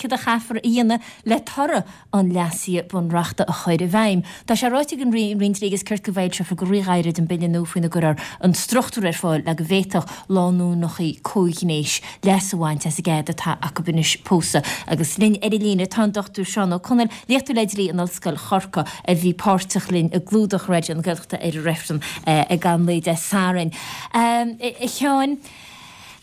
céard a chaithfear a dhéanamh le toradh an leasaithe bunreachta a chur i bhfeidhm. Tá sé ráite ag an Roinn Dlí agus Cirt go bhfoilseofar go ríghairid an bille nua faoina gcuirfear an struchtúr ar fáil le go bhféadfadh lánúineacha comhghnéis leas a bhaint as an gcead atá acu anois pósadh. Agus linn ar an líne tá an Dr Seán Ó Conaill, léachtóir le dlí in Ollscoil Chorcaí, a bhí páirteach linn i gclúdach Raidió na Gaeltachta ar an reifreann ag an lae Dé Sathairn. A Sheáin,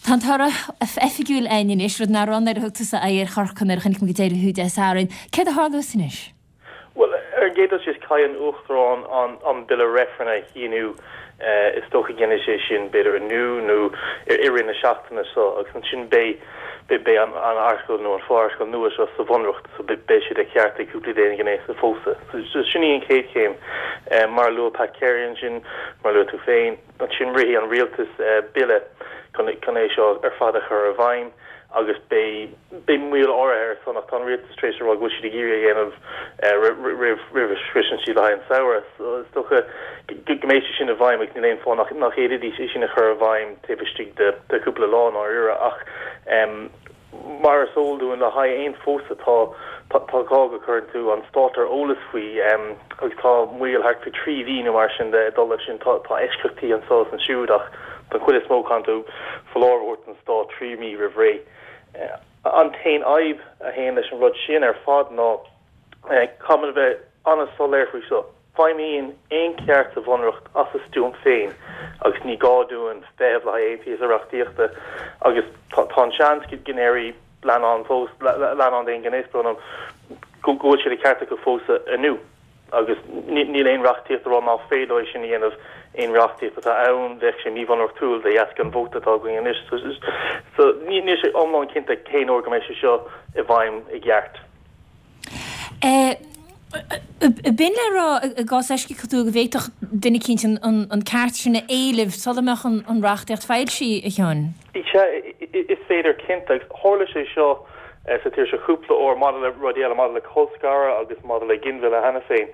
tá an toradh oifigiúil againn anois, rud nach raibh nuair a thug tusa aghaidh ar Chorcaigh nuair a chonaic mé go deireadh thú Dé Sathairn. Céard a tharlós anois? Bhuel, ar an gcéad dul síos, caithfidh an Uachtarán an bille reifrinn a shíniú. Is dócha go ndéanfaidh sé sin b'fhéidir inniu nó i rith na seachtaine seo agus ansin beidh beidh an airteagal nó an fo-airteagal nua seo sa Bhunreacht so beidh sé de cheart ag cúplaí d'aon ghnéas a phósadh. So sin í an chéad chéim. Mar a luaigh Pat Carey ansin, mar a luaigh tú féin, Ansin rithfidh an rialtas bille chun é seo ar fad a chur i bhfeidhm agus beidh beidh moill áirithe air san ach tá an rialtas tar éis a rá go bhfuil siad ag iarraidh é a dhéanamh roimh roimh a shroiseann siad le haghaidh an samhradh. So is dócha go mbeidh sé sin i bhfeidhm agus níl aon fáth nach nach bhféadfaidís é sin a chur i bhfeidhm taobh istigh de de chúpla lá i ndáiríre ach Mar is eol dúinn, le haghaidh aon phósadh tá tá gá go gcuireann tú an stát ar eolas faoi agus tá moill thart faoi 3 mhí nó mar sin de ag dul leis sin. Tá tá eisceachtaí anseo is ansiúd ach don chuid is mó caitheann tú foláireamh a thabhairt don stát 3 mhí roimh ré. An t-aon fhadhb a théann leis an rud sin ar fad ná caithfimid a bheith an-soiléir faoi seo. Feidhmíonn aon cheart sa Bhunreacht as a stuaim féin agus ní gá dúinn feitheamh le haghaidh aon phíosa reachtaíochta agus tá an seans go ndéarfaidh leannán fós, leannán d'aon ghnéas, brón orm, go bhfuil sé de cheart acu pósadh inniu agus níl aon reachtaíocht ag rá nach féidir leo é sin a dhéanamh, aon reachtaíocht atá ann bheadh sé míbhunreachtúil de dheasca an vóta atá againn anois. So níl sé iomlán cinnte cén uair go mbeidh sé seo i bhfeidhm i gceart. B'in le rá, i gcás eisceachtúil, go bhféadfadh duine eicínt an ceart sin a éileamh sula mbeadh an reachtaíocht foilsithe, a Sheáin? Sea, is féidir cinnte. Agus tharla sé seo sa tír seo cúpla uair maidir le rudaí eile, maidir le colscaradh agus maidir le ginmhilleadh cheana féin.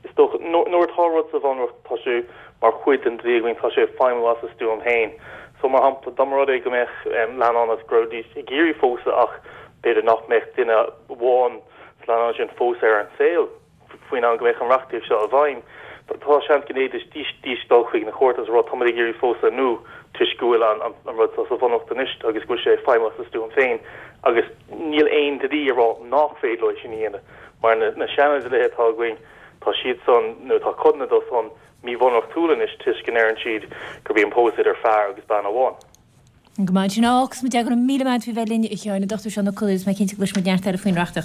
Is dócha, nuair atá rud sa Bhunreacht, tá sé mar chuid den dlí againn, tá sé ag feidhmiú as a stuaim féin. So, mar shampla, dá mba rud é go mbeadh leannán agus go raibh ag iarraidh pósadh ach b'fhéidir nach mbeadh duine amháin sa leannán sin fós ar an saol faoin am go mbeadh an reachtaíocht seo i bhfeidhm. Tá seans go bhféadfaidís dul chuig na cúirteanna agus a rá táimid ag iarraidh pósadh inniu toisc go bhfuil an rud seo sa Bhunreacht anois agus go bhfuil sé ag feidhmiú as a stuaim féin agus níl aon dlí ag rá nach féidir leo é sin a dhéanamh mar na seana-dhlíthe atá againn tá siad san nó tá codanna dó san míbhunreachtúil anois toisc go ndeireann siad gurb í an pósadh idir fear agus bean amháin. Go maith sin. Á, agus muid, go raibh míle maith agat faoi bheith linn, a Sheáin, an Dr Seán Ó Conaill, agus mé cinnte go gcloisfidh muid neart eile faoin reachtaíocht.